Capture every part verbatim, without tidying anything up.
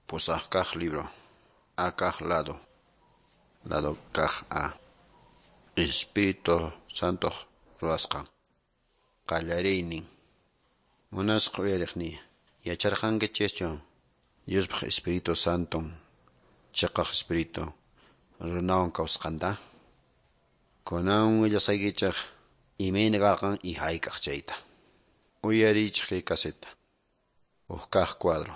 Pusaq kaq libro. A kaq lado. Lado kaq A. Espíritu Santoq ruwasqan. Qallariynin. Munasqa uyariqniy, yacharqankichischu Diospaq Espíritu Santon chiqaq Espíritu runawan kawsasqanta? Kunan willasqaykichik imayna karqan y hayk'aq chayta. Uyariychik kay caseta. Huk kaq cuadro.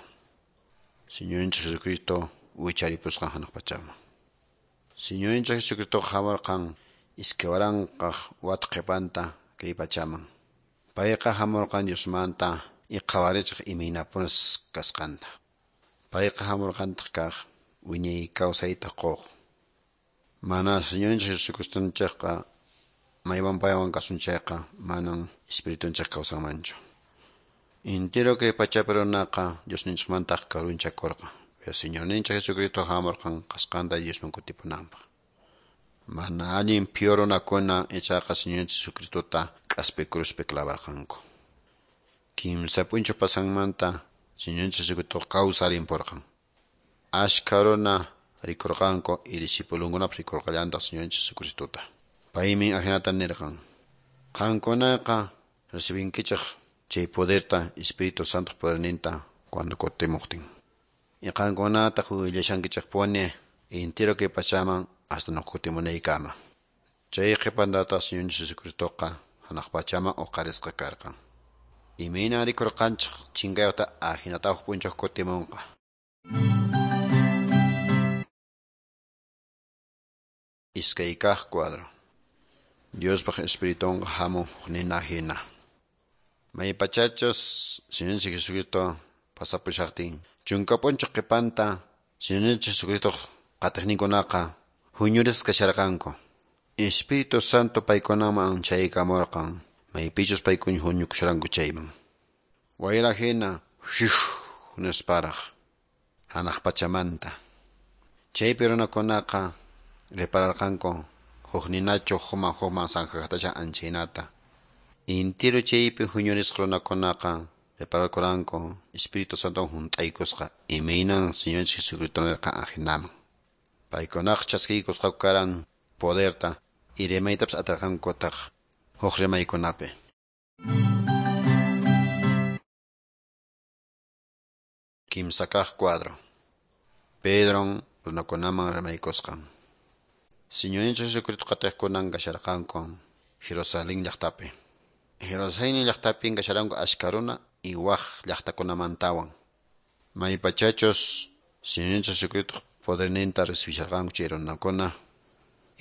Señorninchik Jesucristo wicharipusqan hanaq pachaman. Señorninchik Jesucristo hamurqan iskay waranqaq wata qhipanta kay pachaman. Payqa hamurqan Diosmanta y qhawarichiq imaynapunas kasqanta. Payqa hamurqantaq kaq wiñay kawsayta quq. Mana Señorninchik Jesucristonchikqa maywan paywan kasun chayqa manan espiritunchik kawsanmanchu. Entero kay pachapi runaqa Diosninchikmantaq karunchakurqan. Pero Señorninchik Jesucristo hamurqan kasqanta Diosman kutipunanpaq. Mana allin phiwa runakuna ichaqa Señorninchik Jesucristota k'aspi cruzpi clavarqanku. Kimsa p'unchaw pasanmanta Señorninchik Jesucristo kawsarimpurqan. Ashkha runa rikurqanku y discipulunkunapas rikurqallantaq Señorninchik Jesucristota. Paymi ahinata nirqan: Qankunaqa recibinkichik chay poderta Espíritu Santo poderninta cuando kutimuqtin. Y qankunataq willashankichikpuni entero kay pachaman hasta nuqa kutimunaykama. Chay qhipantataq Señorninchik Jesucristoqa hanaq pachaman uqarisqa karqan. Imayna rikurqanchik chinkayuqta ahinataq huk p'unchaw kutimunqa. Iskay kaq cuadro. Diospaq Espiritunqa hamun huk nina hina. Maypachachus Señorninchik Jesucristo pasapushaqtin chunka p'unchaw qhipanta Señorninchik Jesucristo qatiqninkunaqa huñurisqa kasharqanku. Espíritu Santo paykunaman chaykamurqan maypichus paykuna huñukusharanku chayman. Wayra hina shuh nisparaq hanaq pachamanta. Chaypi runakunaqa repararqanku huk ninachu hukman hukman sanjaqtasha anchaynata. Intiro chaypi huñurisqa runakunaqa repararkuranku Espíritu Santo hunt'aykusqa imaynan Señorninchik Jesucristo nirqan ahinaman. Paykunaqa chaskiykusqaku karan poderta y rimaytapas atirqankutaq huk rimaykunapi. Kimsa kaq cuadro. Pedron runakunaman rimaykusqan. Señorninchik Jesucristo qatiqkunan kasharqanku Jerusalén llaqtapi. Jerusalén llaqtapin kasharanku ashka runa y waq llaqtakunamantawan. Maypachachus Señorninchik Jesucristo poderninta recibisharqanku chay runakuna.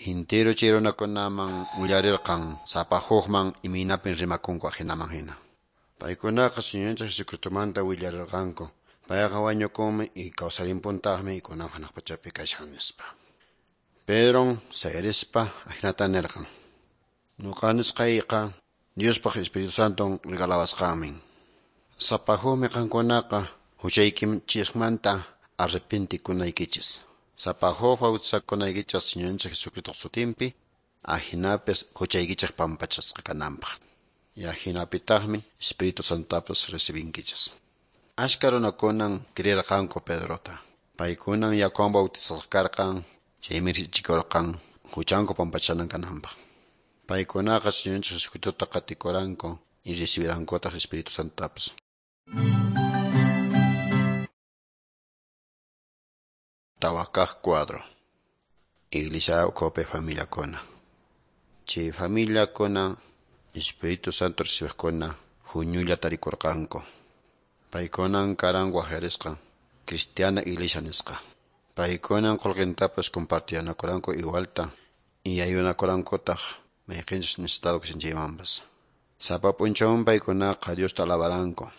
Entero chay runakunaman willarirqan sapa hukman imaynapin rimakunku ahinaman hina. Paykunaqa Señorninchik Jesucristomanta willarirqanku. Payqa wañukunmi y kawsarimpuntaqmi kunan hanaq pachapi kashan nispa. Pedron sayarispa ahinata nirqan: Nuqa nisqayqa Diospaq Espíritu Santon regalawasqanmin. Sapa hukmi qankunaqa huchaykichikmanta arrepentikunaykichis. Sapa huk bautizakunaykichis Señorninchik Jesucristo sutinpi, ahinapis huchaykichik pampachasqa kananpaq. Y ahinapitaqmi Espíritu Santotapas recibinkichis. Ashka runakunan creerqanku Pedrota. Paykunan yakuwan bautizasqa karqan, chaymi richikurqan huchanku pampachanan kananpaq. Paykunaqa Señorninchik Jesucristota qatikuranku y recibirankutaq Espíritu Santotapas. Tawa kaq cuadro. Iglesia ukhupi familiakuna. Chay familiakuna Espíritu Santo recibiqkuna huñulla tarikurqanku. Paykunan karan waqyarisqa cristiana iglesia nisqa. Paykunan qullqintapas compartiyanakuranku igualta y ayunakurankutaq mayqinchus necesitado kashan chaymanpas. Sapa p'unchawmi paykunaqa Diosta alabaranku.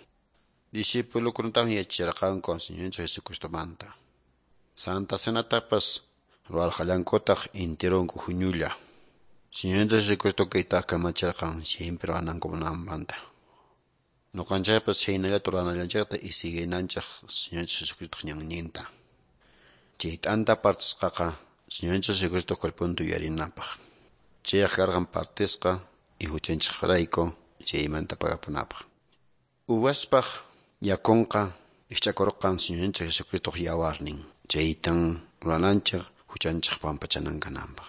Discipulukunataqmi yachachirqanku Señorninchik Jesucristomanta. Santa Cenatapas ruwarqallankutaq enteronku huñulla. Señorninchik Jesucristo kaytaqa kamachirqan siempre ruwanankunamanta. Nuqanchikpas chaynallata ruwanallanchikta y siguinanchik Señorninchik Jesucristoq ñanninta. Chay t'anta partisqaqa Señorninchik Jesucristo cuerponta yuyarinapaq. Chayqa karqan partisqa y huchanchikrayku chaymanta pagapunapaq. Uvaspaq yakunqa Rikch'akurqan Señorninchik Jesucristoq yawarnin. Chaytan rurananchik huchanchik pampachanan kananpaq.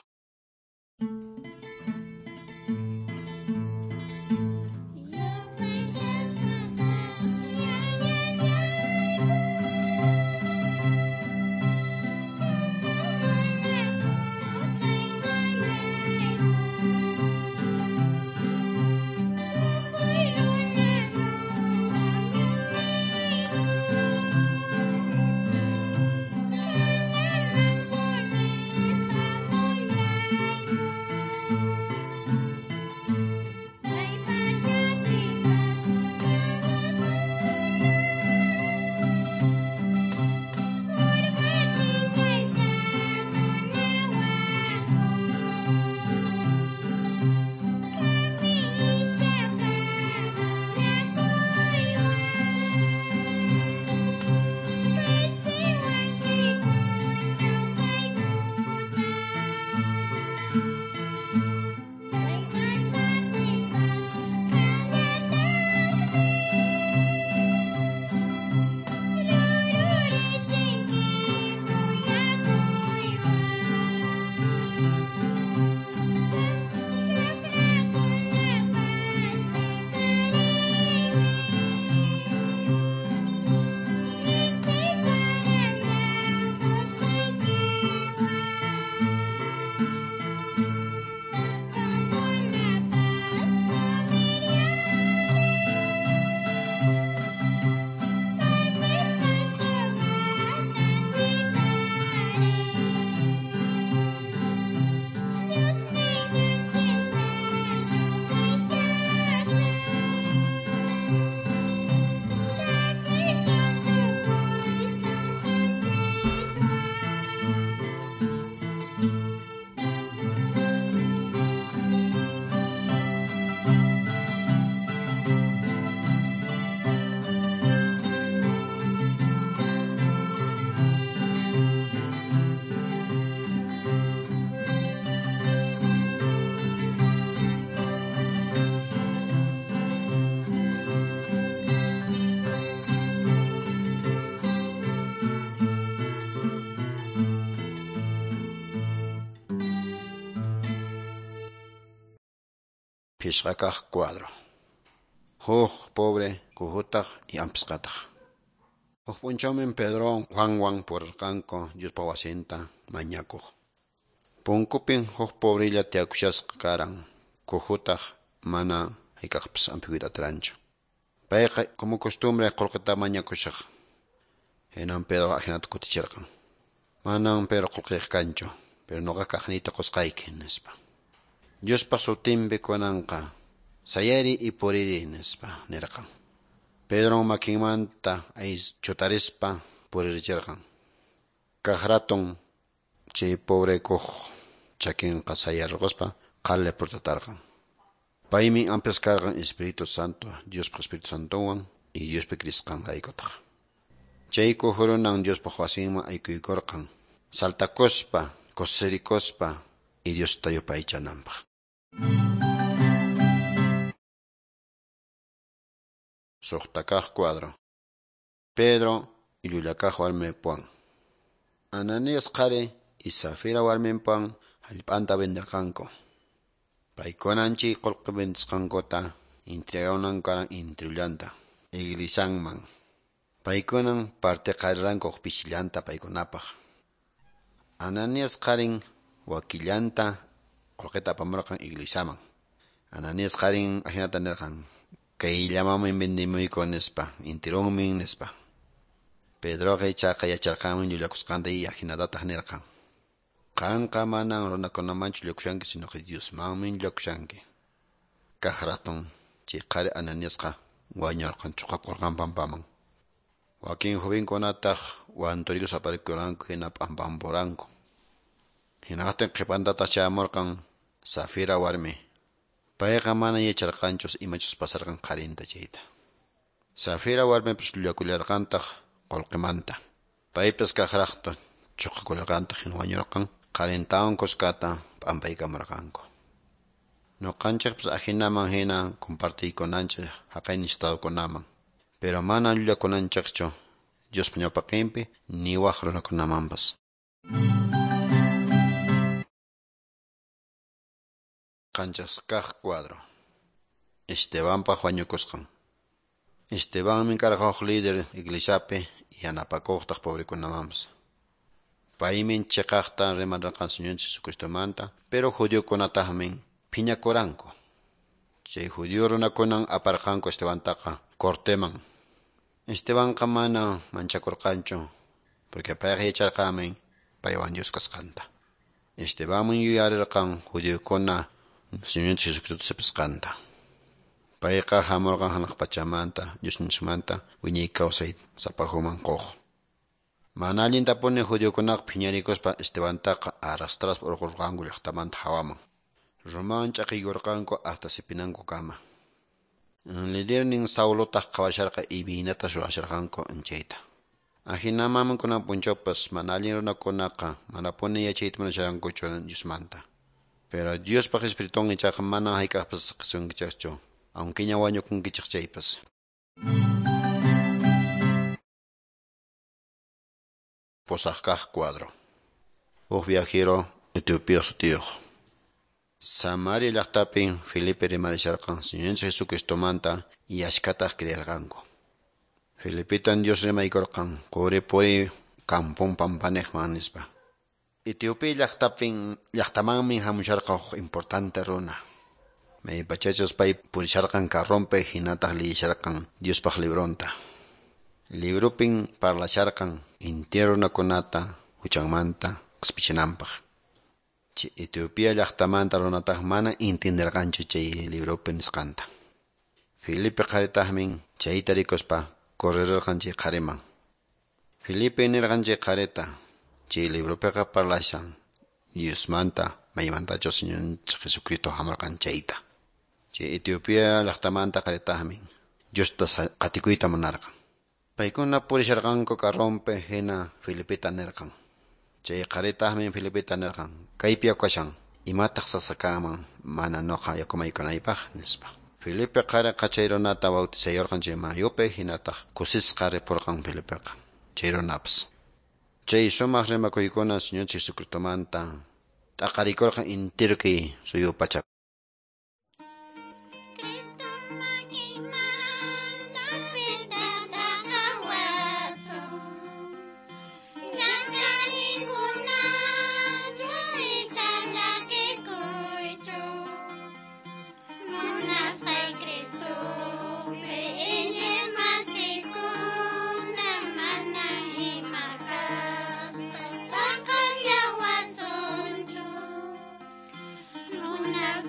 Pishqakaq cuadro. Huk pobre kuhutaq y ampisqataq. Huk p'unchawmi Pedro Juanwan purirqanku Diospa wasinta mañakuq. Punkupin huk pobrella tiyakushasqa karan, kuhutaq mana hayk'aqpas ampikuyta atiranchu. Payqa como costumbre qullqita mañakushaq. Hinan Pedro ahinata kutichirqan. Manan Pedro qullqiyq kanchu, pero nuqa kaqniyta qusqayki, nispa. Diospa sutinpi kunanqa sayari y puriri, nispa nirqan. Pedro makinmanta chutarispa puririchirqan. Kaq ratun chay pobre kuq chakinqa sayarquspa qhali purtatarqan. Paymi ampisqa karqan Espíritu Santo, Diospa Espíritu Santowan y Diospi krisqanraykutaq. Chay kuhurunan Diospa wasinman aykuykurqan, saltakuspa, kusirikuspa y Diosta yupaychananpaq. Suqtakaq cuadro. Pedro y llullakaq warmipuwan. Ananías qhari y Safira warminpuwan hallp'anta venderqanku. Paykunan chay qullqi vendisqankuta entreganan karan intirullanta iglisanman. Paykunan partiqariranku pishillanta paykunapaq. Ananías qharin wakillanta qullqita apamurqan iglisaman. Ananías qharin ahinata nirqan: kayllamanmi vendimuyku nispa, intirunmi nispa. Pedroqa ichaqa yacharqanmi llullakusqanta y ahinatataq nirqan: qanqa manan runakunamanchu llullakushanki, sino que Diosmanmi llullakushanki. Kaq ratun chay qhari Ananiasqa wañurqan, chuqakurqan pampaman. Wakin jovenkunataq wanturikus aparikuranku hina p'ampampuranku. Hinaqtin qhipantataq chayamurqan Safira warmi. Payqa mana yacharqanchu imachus pasarqan qharinta chayta. Safira warmipas llullakullarqantaq qullqimanta. Paypas kaqraqta chuqakullarqantaq hina wañurqan qharintawan kuskata p'ampaykamurqanku. Nuqanchikpas ahinaman hina compartiykunanchik haqay necesitadokunaman. Pero mana llullakunanchikchu Diospa ñawpaqinpi ni waq runakunamanpas. Qanchis kaq cuadro. Estebanpaq wañukusqan. Estebanmi karqa huk líder iglesiapi yanapakuqtaq pobrekunamanpas. Paymi chiqaqta rimarqan Señor Jesucristomanta, pero judiokunataqmi phiñakuranku. Chay judío runakunan aparqanku Estebantaqa corteman. Estebanqa mana manchakurqanchu, porque payqa yacharqanmi paywan Dios kasqanta. Estebanmi yuyarirqan judiokuna Señor Jesucristo sipisqanta. Payqa hamurqan hanaq pachamanta, Diosninchikmanta wiñay kawsay sapajuman quq. Mana allintapuni judiokunaqa phiñarikuspa Estebantaqa arrastraspa urqurqanku llaqtamanta hawaman. Rumawan ch'aqiykurqanku hasta sipinankukama. Lidernin Saulotaq qhawasharqa imaynata ruwasharqanku chayta. Ahinaman kunan p'unchawpas mana allin runakunaqa manapuni yachayta munasharqankuchu Diosmanta. Pero Diospaq Espiritun ichaqa mana hayk'aqpas saqasunkichikchu, aunque ña wañukunkichik chaypas. Pusaq kaq cuadro. Huk viajero Etiopía sutiyuq. Samaria llaqtapin Felipe rimarisharqan Señor Jesucristomanta y achkataq creerqanku. Felipetan Dios rimaykurqan quri puri kampun pampaniqman nispa. Etiopía llaqtapin llaqtamanmi hamusharqa huk importante runa. Maypachachus pay purisharqan carronpi hinataq liyisharqan Diospaq libronta. Librupin parlasharqan intero runakunata huchanmanta qispichinanpaq. Chay Etiopía llaqtamanta runataq mana entenderqanchu chay libropi nisqanta. Felipe qharitaqmi chayta rikuspa correrirqan chay qhariman. Felipe nirqan chay qharita chay libropiqa parlashan Diosmanta maymantachus Señor Jesucristo hamurqan chayta. Chay Etiopía llaqtamanta qharitaqmi Diosta qatikuyta munarqan. Paykuna purisharqanku carronpi hina Felipeta nirqan. Chay qharitaqmi Felipeta nirqan kaypi yakashan imataq sasakaman mana nuqa yakumaykunaypaq nispa. Felipe qhariqa chay runata bautizayurqan chay mayupi hinataq kusisqa ripurqan Felipeqa chay runapas. Chay sumaq rimakuykuna Señor Jesucristomanta t'aqarikurqan entero kay suyu pachapi. Una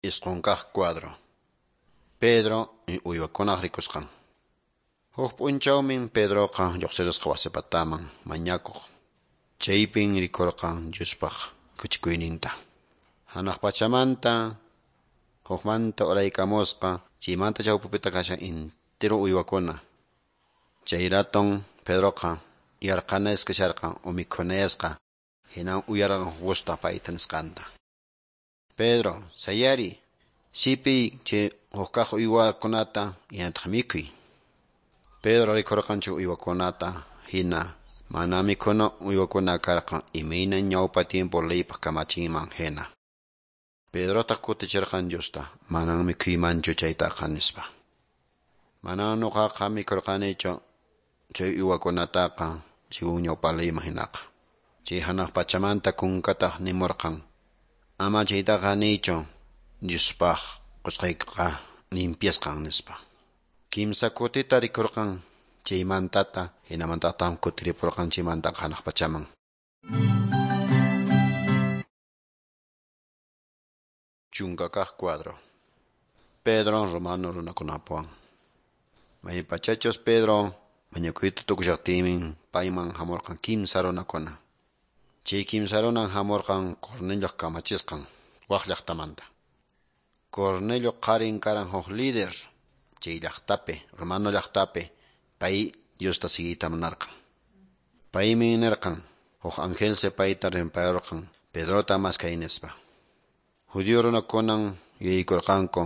Isqun kaq cuadro. Pedro uywakunaq rikusqan. Huk p'unchawmin Pedroqa lluqsirisqa wasipataman mañakuq. Chaypin rikurqan Diospaq kuchikuyninta. Hanaq pachamanta hukmanta uraykamusqa chaymanta chawpipita kashan intiro uywakuna. Chay raton Pedroqa yarqanasqa kasharqan o mikhunayasqa hinan uyarqan gusta payta nisqanta. Pedro, sayari, sipiy chay hukkaq uywakunata hinataq mikhuy. Pedro rikurqan chay uywakunata hina mana mikhuna uywakuna karqan imayna ñawpa tiempo leypaq kamachinman hina. Pedrotaq kutichirqan Diosta, manan mikhuymanchu chaytaqa nispa. Manan nuqaqa mikhurqanichu chay uywakunataqa según ñawpa leyman hinaqa. Chay hanaq pachamanta kunkataq nimurqan, ama chaytaqa niychu Diospaq qusqaykiqa limpiasqan nispa. Kimsa kutita rikurqan chaymantata hinamantataq kutiripurqan chaymantaqa hanaq pachaman. Chunka kaq cuadro. Pedro romano runakunapuwan. Maypachachus Pedro mañakuyta tukushaqtinmi payman hamurqan kimsa runakuna. Chay kimsa runan hamurqan Cornelioq kamachisqan wak llaqtamanta. Cornelio qarin karan huk líder chay llaqtapi, romano llaqtapi, pay Diosta siguiyta munarqan. Paymi nirqan huk angelsi payta rimpayurqan Pedrota maskay nispa. Judío runakunan yuyaykurqanku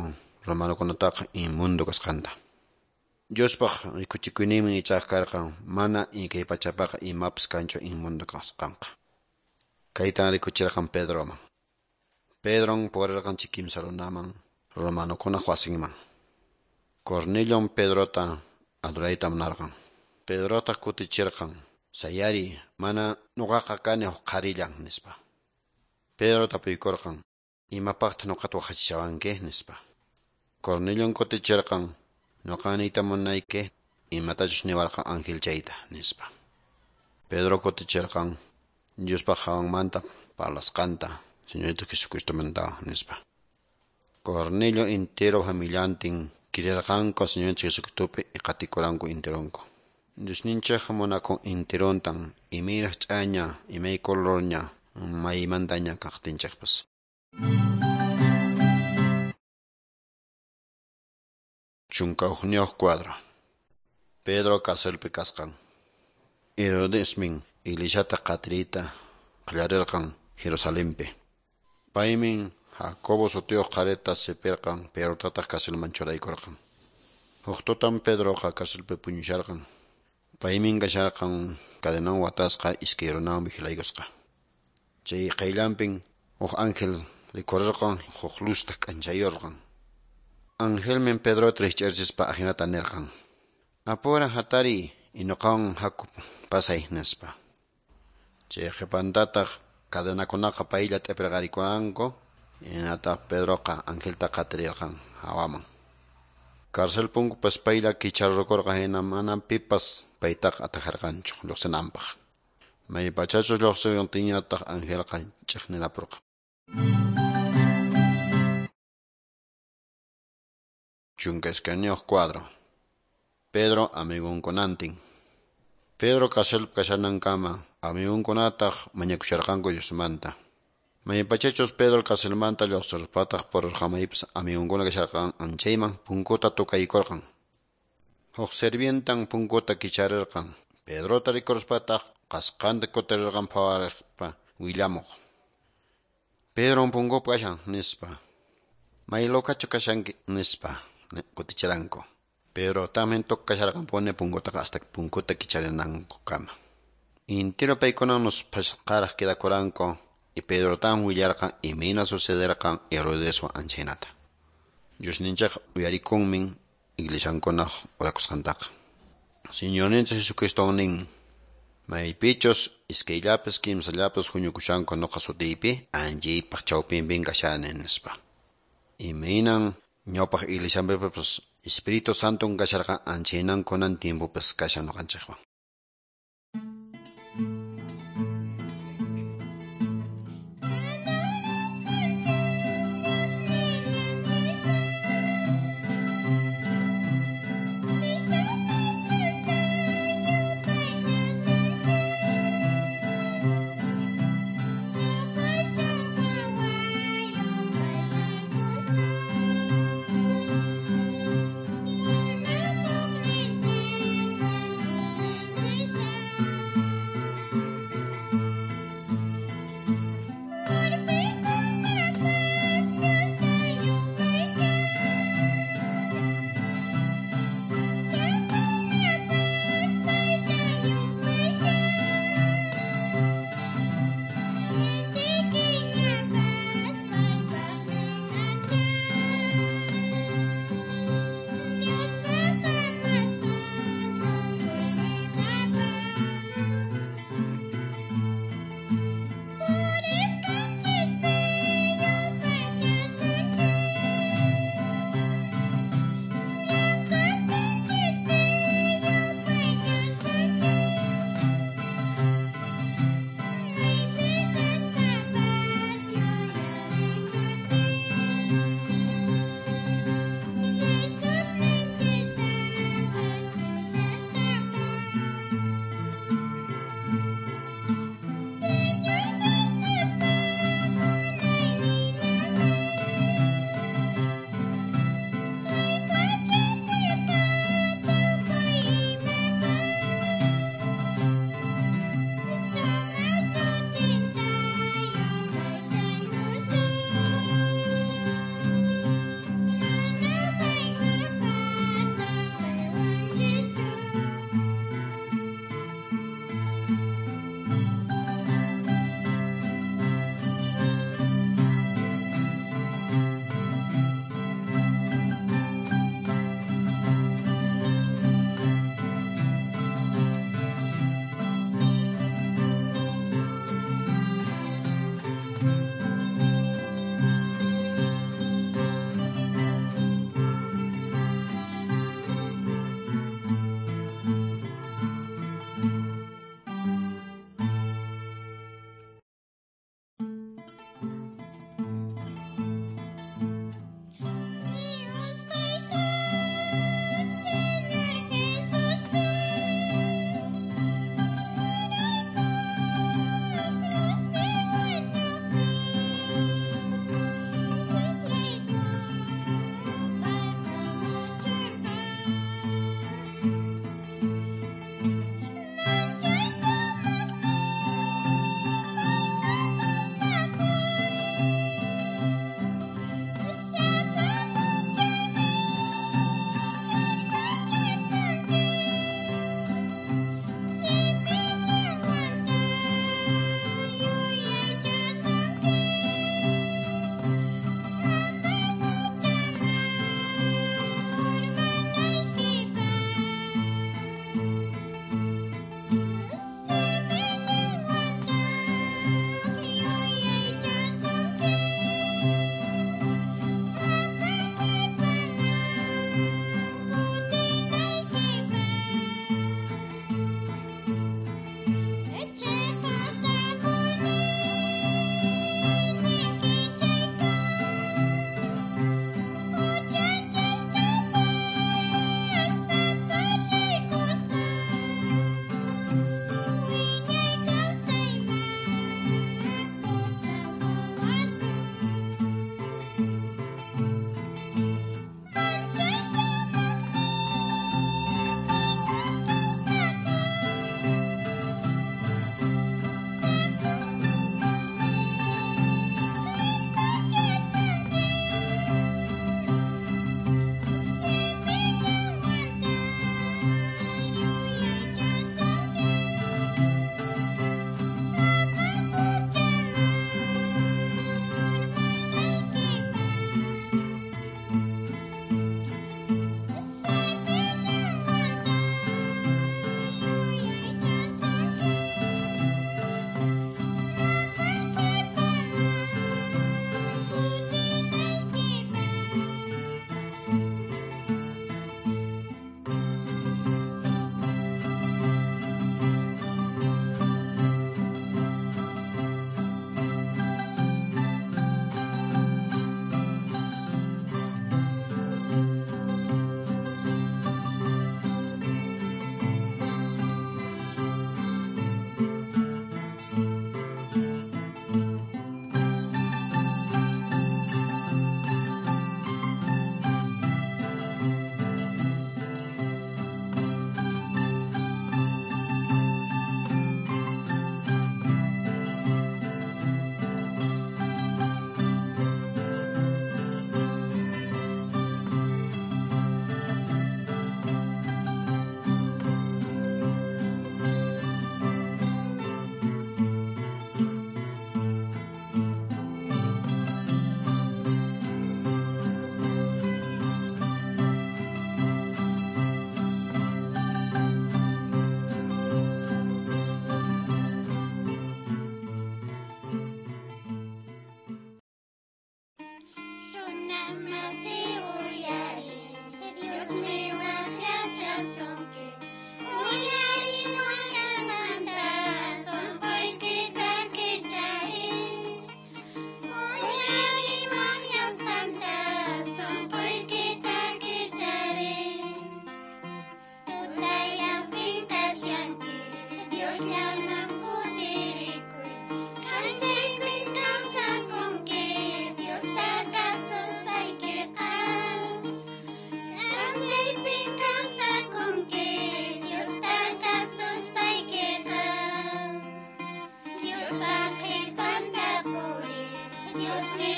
romanokunataqa inmundo kasqanta. Diospaq rikuchikuyninmi ichaqa karqan mana kay pachapaqa imapas kanchu inmundo kasqanqa. Kaytan rikuchirqan Pedroman. Pedron purirqan chay kimsa runaman romanokunaq wasinman. Cornelion Pedrota adorayta munarqan. Pedrotaq kutichirqan, sayari, mana nuqaqa kani huk qharillan nispa. Pedro tapuykurqan, imapaqtaq nuqata waqachishawanki nispa. Cornelion kutichirqan, nuqa niyta munayki imatachus niwarqan ángel chayta nispa. Pedro kutichirqan, Diospaq hawanmanta parlasqanta, Señorito Jesucristomanta nispa. Cornelio entero familiantin kirirqanku Señor Jesucristopi qatikuranku enteronku. Diosninchik munakun enterontan imayraq ch'aña, imay colorña, maymantaña kaqtinchikpas. Chunka hukniyuq cuadro. Pedro carcelpi kasqan. Herodesmin iglesiata qatiriyta qallarirqan Jerusalenpi. Paymin Jacobo sutiyuq qharita sipirqan, Pedrotataq carcelman churaykurqan. Huk tutan Pedroqa carcelpi puñusharqan. Paymin kasharqan cadenawan watasqa iskay runawan vigilaykusqa. Chay qayllanpin huk ángel rikurirqan huk luzta k'anchayurqan. Angelmin Pedrota rikch'archispa ahinata nirqan: Apura hatariy inuqawan haku pasay nispa. Chay qhipantataq cadenakunaqa paylla t'ipirqarikuranku, hinataq Pedroqa angelta qatirirqan hawaman. Cárcel punkupas paylla kicharukurqan hina mana pipas paytaqa atajarqanchu lluqsinanpaq. Maypachachus lluqsirqantiñataq angelqa ch'iqnirapurqan. Chunka iskayniyuq cuadro. Pedro amigunkunantin. Pedro carcelpi kashanankama amigunkunataq mañakusharqanku Diosmanta. Maypachachus Pedro carcelmanta lluqsirpataq purirqan maypis amigunkuna kasharqan anchayman punkuta tukaykurqan. Huk sirvientan punkuta kicharirqan. Pedrota rikuruspataq qasqanta kutirirqan phawariqpa willamuq. Pedron punkupi kashan nispa. May lokachu kashanki nispa kutichiranku. Pedro también tukasharqanpuni punkutaqa hasta punkuta kicharinankukama. Intiro paykunan musphasqaraq quedakuranku y Pedro tan willarqan imayna sucederqan Herodeswan anchaynata. Diosninchik uyarikunmin iglesiankunaq orakusqantaqa. Señorninchik Jesucristo nin, maypichus iskayllapis kimsallapis huñukushanku nuqa sutiypi anchaypaq chawpinpin kashani nispa. Imaynan ñawpaq iglesianpipas Espíritu Santo kasharqan anchaynan kunan tiempopas kashan nuqanchikwan.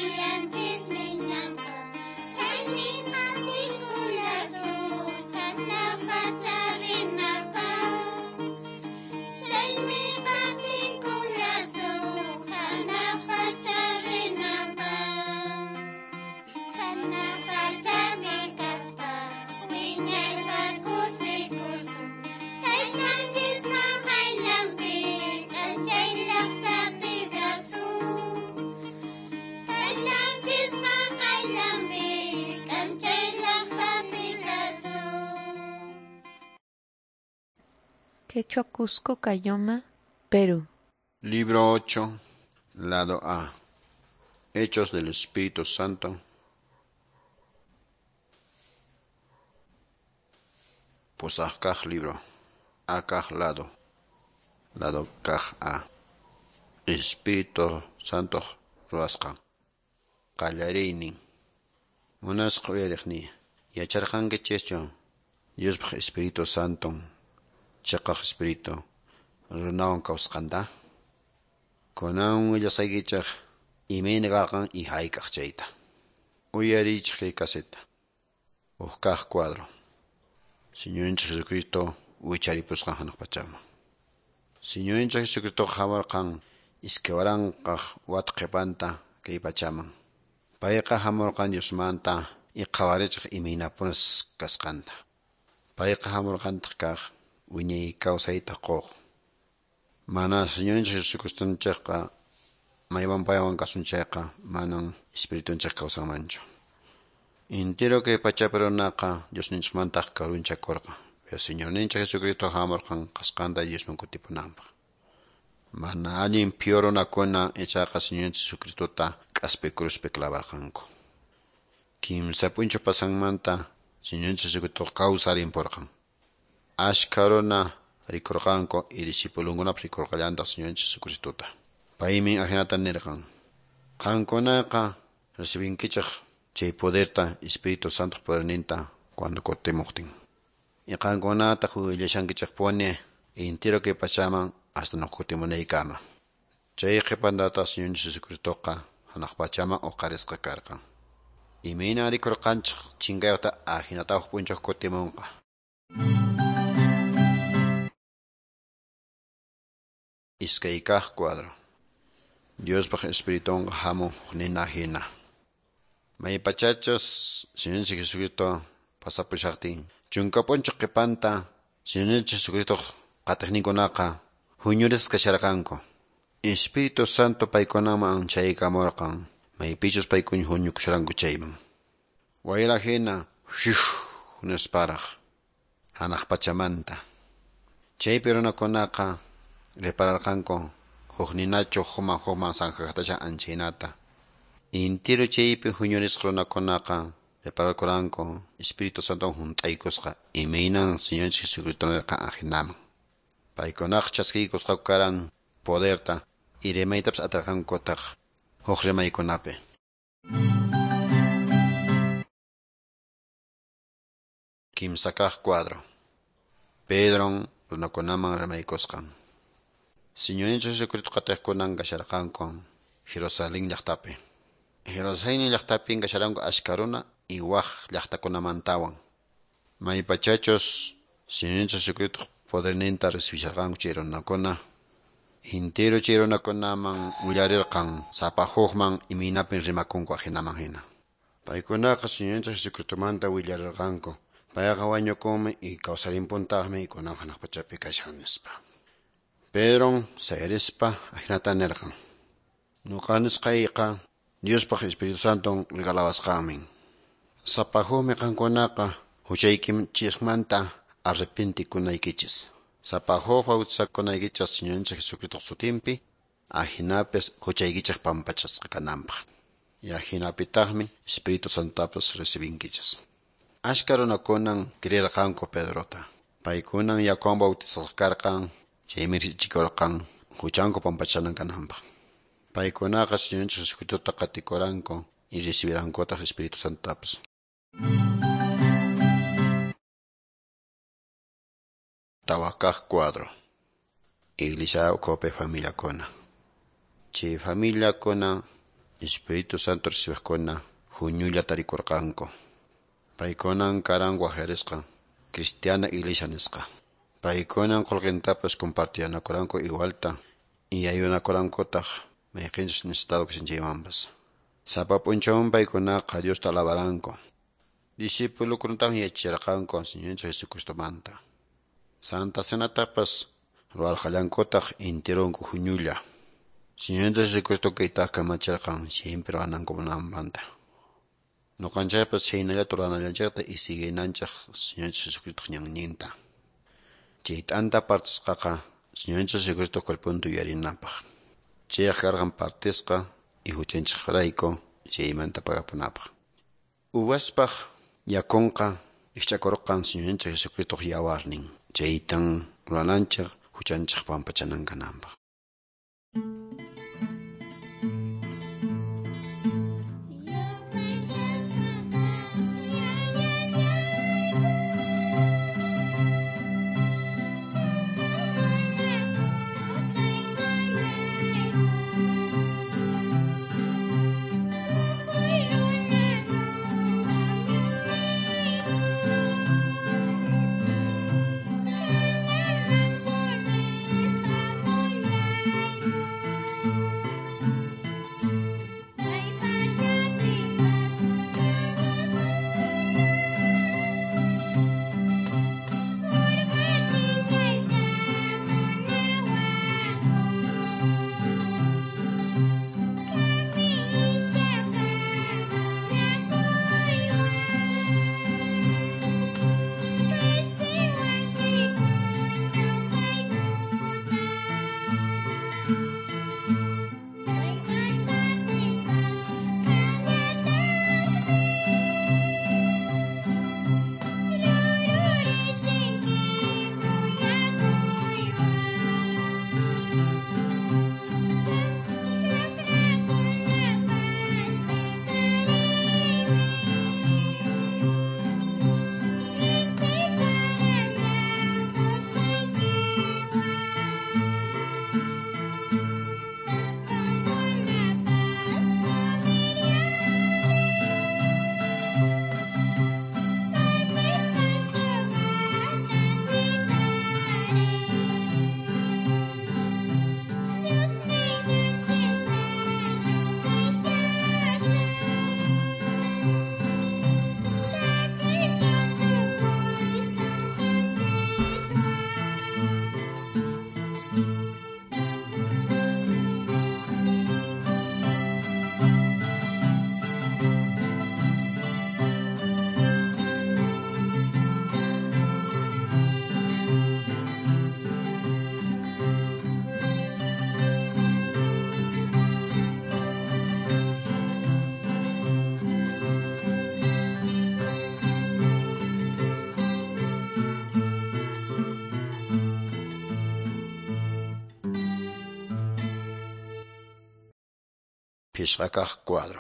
Qayllanchismi ñanqa, chaymi qatikullasun hanaq pacha rinapaq. Chaymi qatikullasun hanaq pacha rinapaq. Hanaq pachapi kaspa wiñaypaq kusikusun. Taytanchispa qayllanpi k'anchay llaqtapi kasun. Taytanchispa qayllanpi k'anchay llaqtapi kasun. Quechua Cusco, Caylloma, Perú. Libro ocho, lado A. Hechos del Espíritu Santo. Pusaq kaq libro. A kaq lado. Lado kaq A. Espíritu Santo ruwasqan. Qallariynin. Munasqa uyariqniy. Yacharqankichischu Diospaq Espíritu Santo chiqaq Espíritu runawan kawsasqanta? Kunan willasaykichik imayna karqan y hayk'aq chayta. Uyariychik kay caseta. Huk kaq cuadro. Señorninchik Jesucristo wicharipusqan hanaq pachaman. Señorninchik Jesucristo hamurqan iskay waranqaq wata qhipanta kay pachaman. Payqa hamurqan Diosmanta y qhawarichiq imaynapunas kasqanta. Payqa hamurqantaq kaq wiñay kawsayta quq. Mana Señorninchik Jesucristonchikqa maywan paywan kasun chayqa manan espiritunchik kawsanmanchu. Entero kay pachapi runaqa Diosninchikmantaq karunchakurqa. Pero Señorninchik Jesucristo hamurqan kasqanta Diosman kutipunanpaq. Mana allin phiwa runakuna ichaqa Señorninchik Jesucristota k'aspi cruzpi clavarqanku. Kimsa p'unchaw pasanmanta Señorninchik Jesucristo kawsarinpurqan. Ashkha runa rikurqanku y discipulunkunapas rikurqallantaq Señorninchik Jesucristota. Paymi ahinata nirqan: Qankunaqa recibinkichik chay poderta Espíritu Santo poderninta cuando kutimuqtin. Y qankunataq willashankichikpuni entero kay pachaman hasta nuqa kutimunaykama. Chay qhipantataq Señorninchik Jesucristoqa hanaq pachaman uqarisqa karqan. Imayna rikurqanchik chinkayuqta ahinata huk p'unchaw kutimunqa. Iskay kaq cuadro. Diospaq Espiritunqa hamun huk nina hina. Maypachachus Señorninchik Jesucristo pasapushaqtin chunka p'unchaw qhipanta Señorninchik Jesucristo qatiqninkunaqa huñurisqa kasharqanku. Espíritu Santo paykunaman chaykamurqan maypichus paykuna huñukusharanku chayman. Wayra hina shih nisparaq hanaq pachamanta. Chaypi runakunaqa repararqanku huk ninachu hukman hukman sanjaqtasha anchaynata. Intiro chaypi huñurisqa runakunaqa repararkuranku Espíritu Santo hunt'aykusqa imaynan Señorninchik Jesucristo nirqan ahinaman. Paykunaqa chaskiykusqaku karan poderta y rimaytapas atirqankutaq huk rimaykunapi. Kimsa kaq cuadro. Pedron runakunaman rimaykusqan. Señorninchik Jesucristo qatiqkunan kasharqanku Jerusalén llaqtapi. Jerusalén llaqtapin kasharanku ashka runa y waq llaqtakunamantawan. Maypachachus Señorninchik Jesucristo poderninta recibisharqanku chay runakuna. Entero chay runakunaman willarirqan sapa hukman imaynapin rimakunku ahinaman hina. Paykunaqa Señorninchik Jesucristomanta willarirqanku. Payqa wañukunmi y kawsarinpuntaqmi y kunan hanaq pachapi kashan nispa. Pedron sayarispa ahinata nirqan: Nuqa nisqayqa Diospaq Espíritu Santon regalawasqanmin. Sapa hukmi qankunaqa huchaykichikmanta arrepentikunaykichis. Sapa huk bautizakunaykichis Señorninchik Jesucristo sutinpi, ahinapis huchaykichik pampachasqa kananpaq. Y ahinapitaqmi Espíritu Santotapas recibinkichis. Ashka runakunan creerqanku Pedrota. Paykunan yakuwan bautizasqa karqan, chaymi richikurqan huchanku pampachanan kananpaq. Paykunaqa Señorninchik Jesucristota qatikuranku y recibirankutaq Espíritu Santotapas. Tawa kaq cuadro. Iglesia ukhupi familiakuna. Chay familiakuna Espíritu Santo recibiqkuna huñulla tarikurqanku. Paykunan karan waqyarisqa cristiana iglesia nisqa. Paykunan qullqintapas compartiyanakuranku igualta y ayunakurankutaq mayqinchus necesitado kashan chaymanpas. Sapa p'unchawmi paykunaqa Diosta alabaranku. Discipulukunatan yachachirqanku Señorninchik Jesucristomanta. Santa Cenatapas ruwarqallankutaq intirunku huñulla. Señorninchik Jesucristo kaytaqa kamachirqan siempre ruwanankumanta. Ñuqanchikpas chhaynallata ruwanallanchikta y siguinanchik Señorninchik Jesucristoq ñanninta. Chay t'anta partisqaqa Señorninchik Jesucristo cuerponta yuyarinapaq. Chayqa karqan partisqa y huchanchikrayku chaymanta pagapunapaq. Uvaspaq yakunqa rikch'akurqan Señorninchik Jesucristoq yawarnin. Chaytan ruwananchik huchanchik pampachanan kananpaq. Pishqakaq cuadro.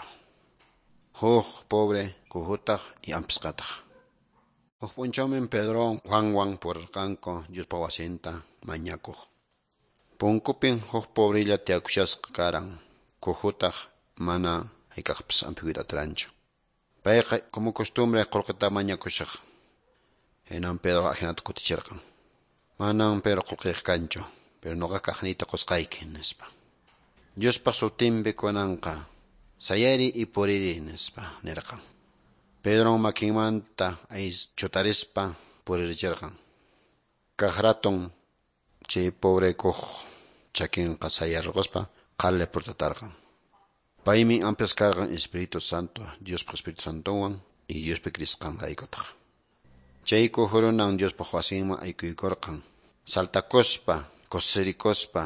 Huk pobre kuhutaq y ampisqataq. Huk p'unchawmi Pedro Juanwan purirqanku Diospa wasinta mañakuq. Punkupin huk pobrella tiyakushasqa karan, kuhutaq mana hayk'aqpas ampikuyta atiranchu. Payqa como costumbre qullqita mañakushaq. Hinan Pedro ahinata kutichirqan. Manan Pedro qullqiyq kanchu, pero nuqa kaqniyta qusqayki nispa. Diospaq sutinpi kunanqa sayari y puriri nispa nirqan. Pedro makinmanta chutarispa puririchirqan. Kaq raton chay pobre kuq chakinqa sayarquspa qhali purtatarqan. Paymi ampas karqan Espíritu Santo, Diospaq Espíritu Santowan y Diospi krisqanraykutaq. Chay kuhurunan Diospaq wasinman aykuykurqan, saltakuspa, kusirikuspa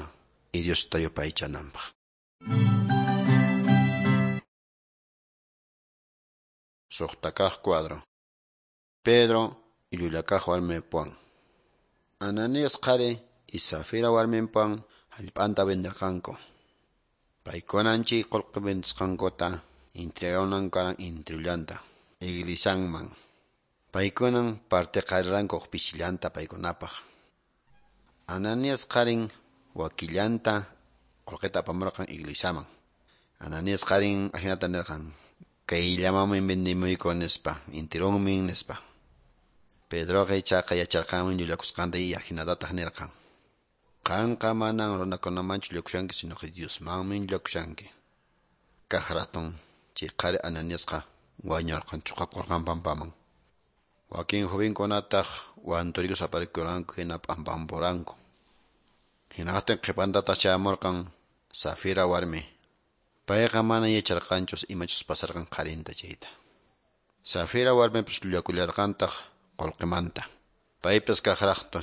y Diosta yupaychananpaq. Suqtakaq cuadro. Pedro y llullakaq warmipuwan. Ananías qhari y Safira warminpuwan hallp'anta venderqanku. Paykunan chay qullqi vendisqankuta entreganan karan intirullanta iglesianman. Paykunan partiqariranku pishillanta paykunapaq. Ananías qharin wakillanta qullqita apamurqan iglesiaman. Ananías qarin ahinata nirqan, kayllamanmi vendimuyku nispa, intirunmi nispa. Pedroqa ichaqa yacharqanmi llullakusqanta y ahinatataq nirqan. Qanqa manan runakunamanchu llullakushanki, sino que Diosmanmi llullakushanki. Kaq ratun chay qhari Ananiasqa wañurqan chuqakurqan pampaman. Wakin jovenkunataq wanturikus aparikurqanku hina p'ampampuranku. Hinaqtin qhipantataq chayamurqan Safira warmi. Payqa mana yacharqanchus imachus pasarqan qharinta chayta. Safira warmipas llullakullarqantaq qullqimanta. Paypas kaqraqta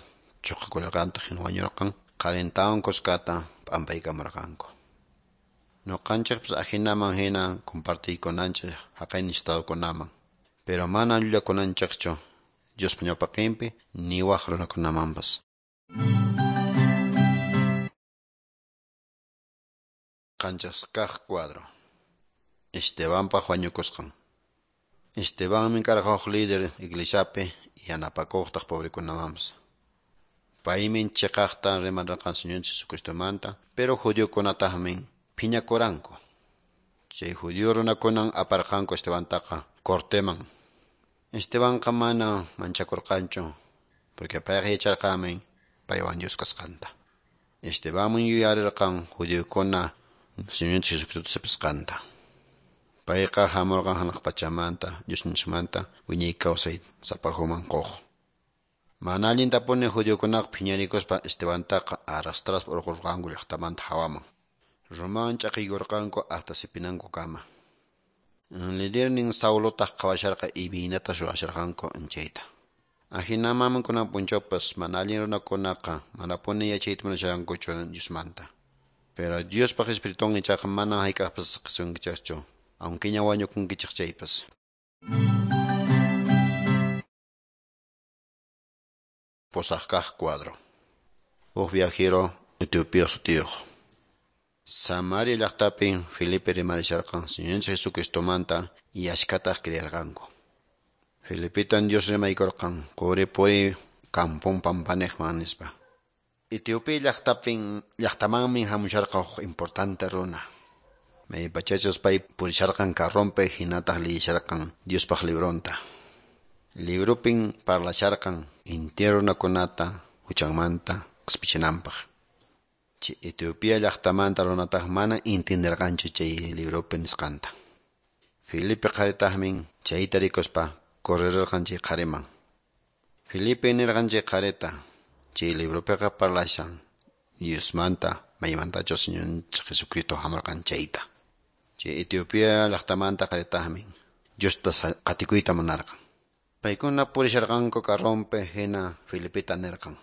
chuqakullarqantaq hina wañurqan qharintawan kuskata p'ampaykamurqanku. Ñuqanchikpas ahinaman hina compartiykunanchik haqay necesitadokunaman. Pero mana llullakunanchikchu Diospa ñawpaqinpi ni waq runakunamanpas. Qanchis kaq cuadro. Estebanpaq wañukusqan. Estebanmi karqa huk líder iglesiapi yanapakuqtaq pobrekunamanpas. Paymi chiqaqta rimarqan Señor Jesucristomanta, pero judiokunataqmi phiñakuranku. Chay judío runakunan aparqanku Estebantaqa corteman. Estebanqa mana manchakurqanchu, porque payqa yacharqanmi paywan Dios kasqanta. Estebanmi yuyarirqan judiokuna Señor Jesucristo sipisqanta. Payqa hamurqan hanaq pachamanta, Diosninchikmanta wiñay kawsay sapajuman quq. Mana allintapuni judiokunaqa phiñarikuspa Estebantaqa arrastraspa urqurqanku llaqtamanta hawaman. Rumawan ch'aqiykurqanku hasta sipinankukama. Lidernin Saulotaq qhawasharqa imaynata ruwasharqanku chayta. Ahinaman kunan p'unchawpas mana allin runakunaqa manapuni yachayta munasharqankuchu Diosmanta. Pero Diospaq Espiritun ichaqa mana hayk'aqpas saqasunkichikchu, aunque ña wañukunkichik chaypas. Pusaq kaq cuadro. Huk viajero Etiopía sutiyuq. Samaria llaqtapi Felipe rimarisharqan Señor Jesucristomanta y ashkataq creerqanku. Felipetan Dios rimaykurqan quri puri kampun pampaniqman nispa. Etiopía llaqtapin llaqtamanmi hamusharqa huk importante runa. Maypachachus pay purisharqan carronpi hinataq liyisharqan Diospaq libronta. Librupin parlasharqan intero runakunata huchanmanta qispichinanpaq. Chay Etiopía llaqtamanta runataq mana entenderqanchu chay libropi nisqanta. Felipe qharitaqmi chayta rikuspa correrirqan chay qhariman. Felipe nirqan chay qharita chay libropiqa parlashan Diosmanta maymantachus Señor Jesucristo hamurqan chayta. Chay Etiopía llaqtamanta qharitaqmi Diosta qatikuyta munarqan. Paykuna purisharqanku carronpi hina Felipeta nirqan.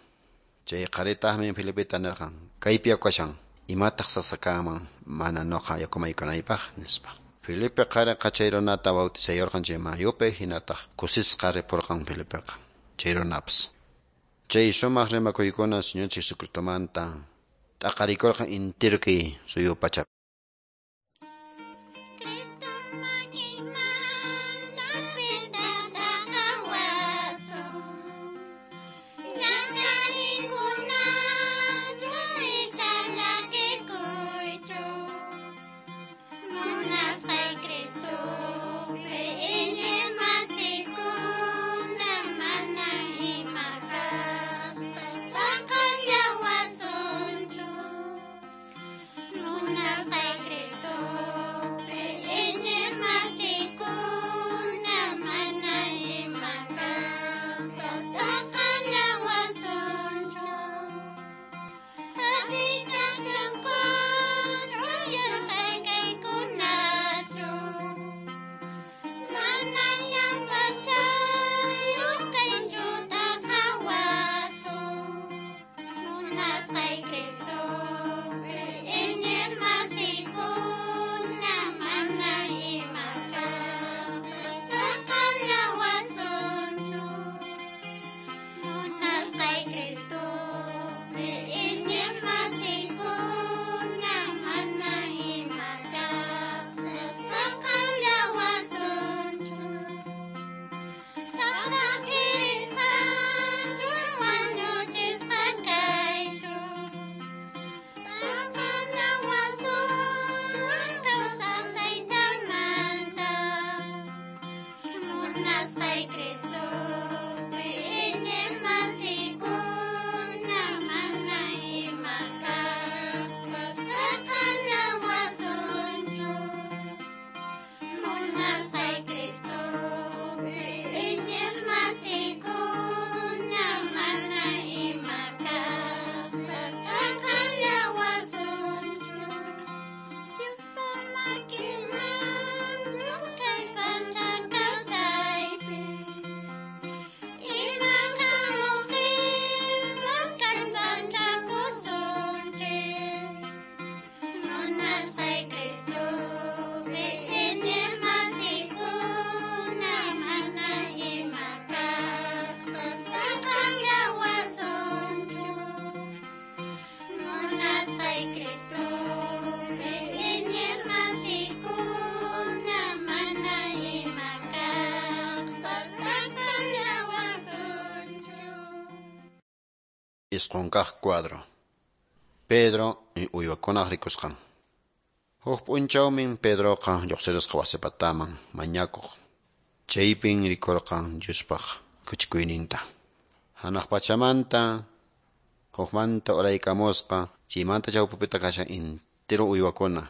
Chay qharitaqmi Felipeta nirqan, kaypi yakashan, imataq sasakaman mana nuqa yakumaykunaypaq nispa. Felipe qhariqa chay runata bautizayurqan chay mayupi hinataq kusisqa ripurqan Felipeqa chay runapas. Chay sumaq rimakuykuna Señor Jesucristomanta t'aqarikurqan entero kay suyu pachapi. Cristo makimanta pitaqawasun. Ñak'ariykunachu icha llakikuychu. Munasqay Cristopi iñiqmasikuna mana ima kaqpas t'aqallawasunchu. Munasqay Munasqay Cristopi iñiqmasikuna mana ima kaqpas t'aqallawasunchu. Munasqay Cristopi iñiqmasikuna mana ima kaqpas t'aqallawasunchu. Diospa makinman kay pacha kawsaypi iman hamuqtinpas kallpachakusunchik. Munasqay Cristopi iñiqmasikuna mana ima kaqpas t'aqallawasunchu. Munasqay Cristopi iñiqmasikuna mana ima kaqpas t'aqallawasunchu. Isqun kaq cuadro. Pedro uywakunaq rikusqan. Huk p'unchawmin Pedroqa lluqsirisqa wasipataman mañakuq. Chaypin rikurqan Diospaq kuchikuyninta. Hanaq pachamanta hukmanta uraykamusqa chaymanta chawpipita kashan intiro uywakuna.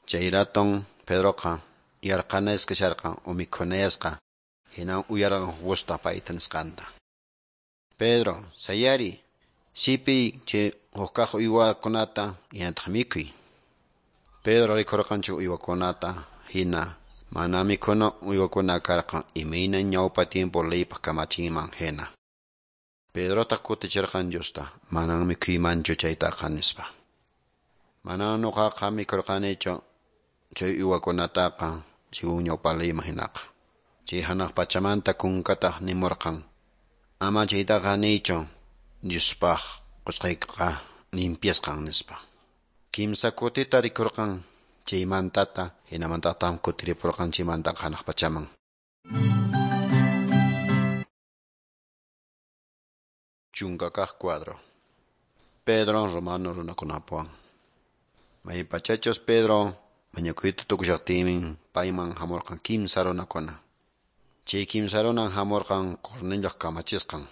Chay raton Pedroqa yarqanasqa kasharqan o mikhunayasqa hinan uyarqan huk payta nisqanta. Pedro, sayari, sipiy chay huk kaq uywakunata hinataq mikhuy. Pedro rikurqan chay uywakunata hina mana mikhuna uywakuna karqan imayna ñawpa tiempo leypaq kamachinman hina. Pedrotaq kutichirqan Diosta, manan mikhuymanchu chaytaqa nispa. Manan nuqaqa mikhurqanichu chay uywakunataqa según ñawpa leyman hinaqa. Chay hanaq pachamanta kunkataq nimurqan, ama chaytaqa niychu Diospaq qusqayqa limpiasqan nispa. Kimsa kutita rikurqan chaymantata hinamantataq kutiripurqan chaymantaqa hanaq pachaman. Chunka kaq cuadro. Pedro romano runakunapuwan. Maypachachus Pedro mañakuyta tukushaqtinmin payman hamurqan kimsa runakuna. Chay kimsa runan hamurqan Cornelioq kamachisqan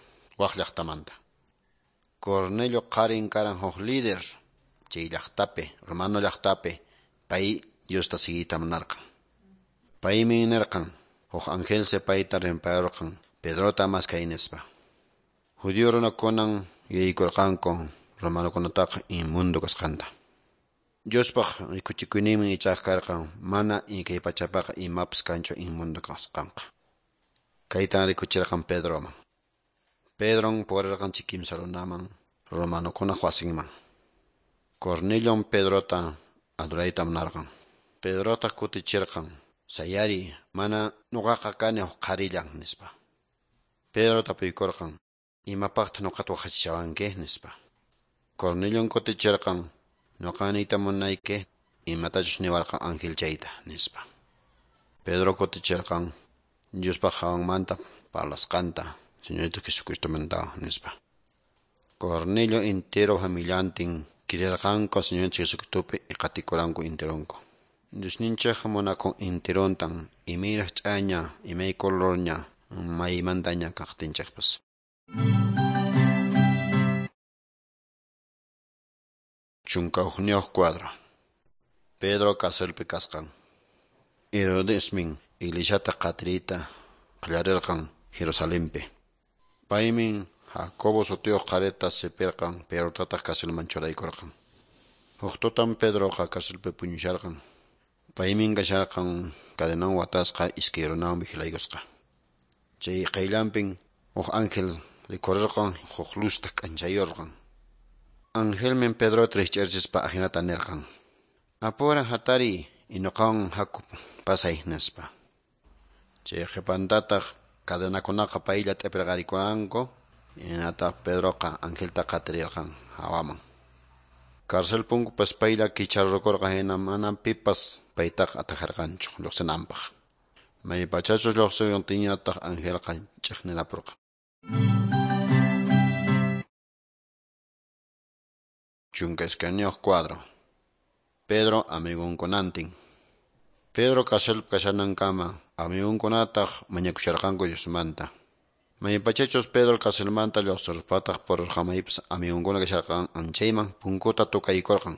waq llaqtamanta. Cornelio qarin karan huk líder chay llaqtapi, romano llaqtapi, pay Diosta siguiyta munarqan. Paymi nirqan huk angelsi payta rimpayurqan Pedrota maskay nispa. Judío runakunan yuyaykurqanku romanokunataqa inmundo kasqanta. Diospaq rikuchikuyninmi ichaqa karqan mana kay pachapaqa imapas kanchu inmundo kasqanqa. Kaytan rikuchirqan Pedroman. Pedron purirqan chay kimsa runaman romanokunaq wasinman. Cornelion Pedrota adorayta munarqan. Pedrotaq kutichirqan, sayari, mana nuqaqa kani huk qharillan nispa. Pedro tapuykurqan, imapaqtaq nuqata waqachishawanki nispa. Cornelion kutichirqan, nuqa niyta munayki imatachus niwarqan ángel chayta nispa. Pedro kutichirqan, Diospaq hawanmanta parlasqanta, Señorito Jesucristomanta nispa. Cornelio entero familiantin kirirqanku Señor Jesucristopi qatikuranku enteronku. Diosninchik munakun enterontan imayraq ch'aña, imay colorña, maymantaña kaqtinchikpas. Chunka hukniyuq cuadro. Pedro carcelpi kasqan. Herodesmin iglesiata qatiriyta qallarirqan Jerusalenpi. Paymin Jacobo sutiyuq qharita sipirqan, Pedrotataq carcelman churaykurqan. Huk tutan Pedroqa carcelpi puñusharqan. Paymin kasharqan cadenawan watasqa iskay runawan vigilaykusqa. Chay qayllanpin huk ángel rikurirqan huk luzta k'anchayurqan. Angelmin Pedrota rikch'archispa ahinata nirqan: Apura hatariy nuqawan haku pasay nispa. Chay qhipantataq cadenakunaqa paylla t'ipirqarikuranku, hinataq Pedroqa angelta qatirirqan hawaman. Cárcel punkupas paylla kicharrukurqan hina mana pipas paytaqa atajarqanchu lluqsinanpaq. Maypachachus lluqsirqtinñataq angelqa ch'iqnirapurqan. Chunka iskayniyuq cuadro. Pedro amigunkunantin. Pedro carcelpi kashanankama amigunkunataq mañakusharqanku Diosmanta. Maypachachus Pedro carcelmanta lluqsiruspataq purirqan maypis amigunkuna kasharqan anchayman punkuta tukaykurqan.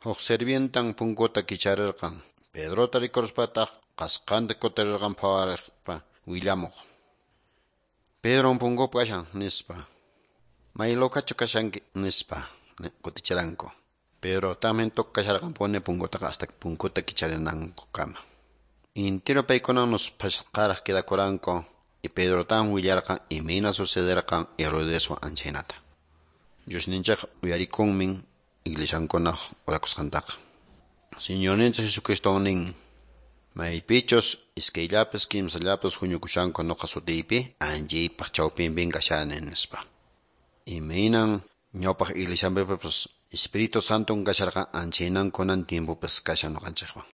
Huk sirvientan punkuta kicharirqan. Pedrota rikuruspataq qasqanta kutirirqan phawarispa willamuq. Pedron punkupi kashan nispa. May locachu kashanki nispa kutichiranku. Pedro también tukasharqanpuni punkutaqa hasta punkuta kicharinankukama. Intiro paykunan musphasqaraq quedakuranku y Pedro tan willarqan imayna sucederqan Herodeswan anchaynata. Diosninchik uyarikunmin iglesiankunaq orakusqantaqa. Señorninchik Jesucristo nin maypichus iskayllapis kimsallapis huñukushanku nuqa sutiypi anchaypaq chawpinpin kashani nispa. Imaynan ñawpaq iglesianpipas Espíritu Santo kasharqan anchaynan kunan tiempopas kashan nuqanchikwan.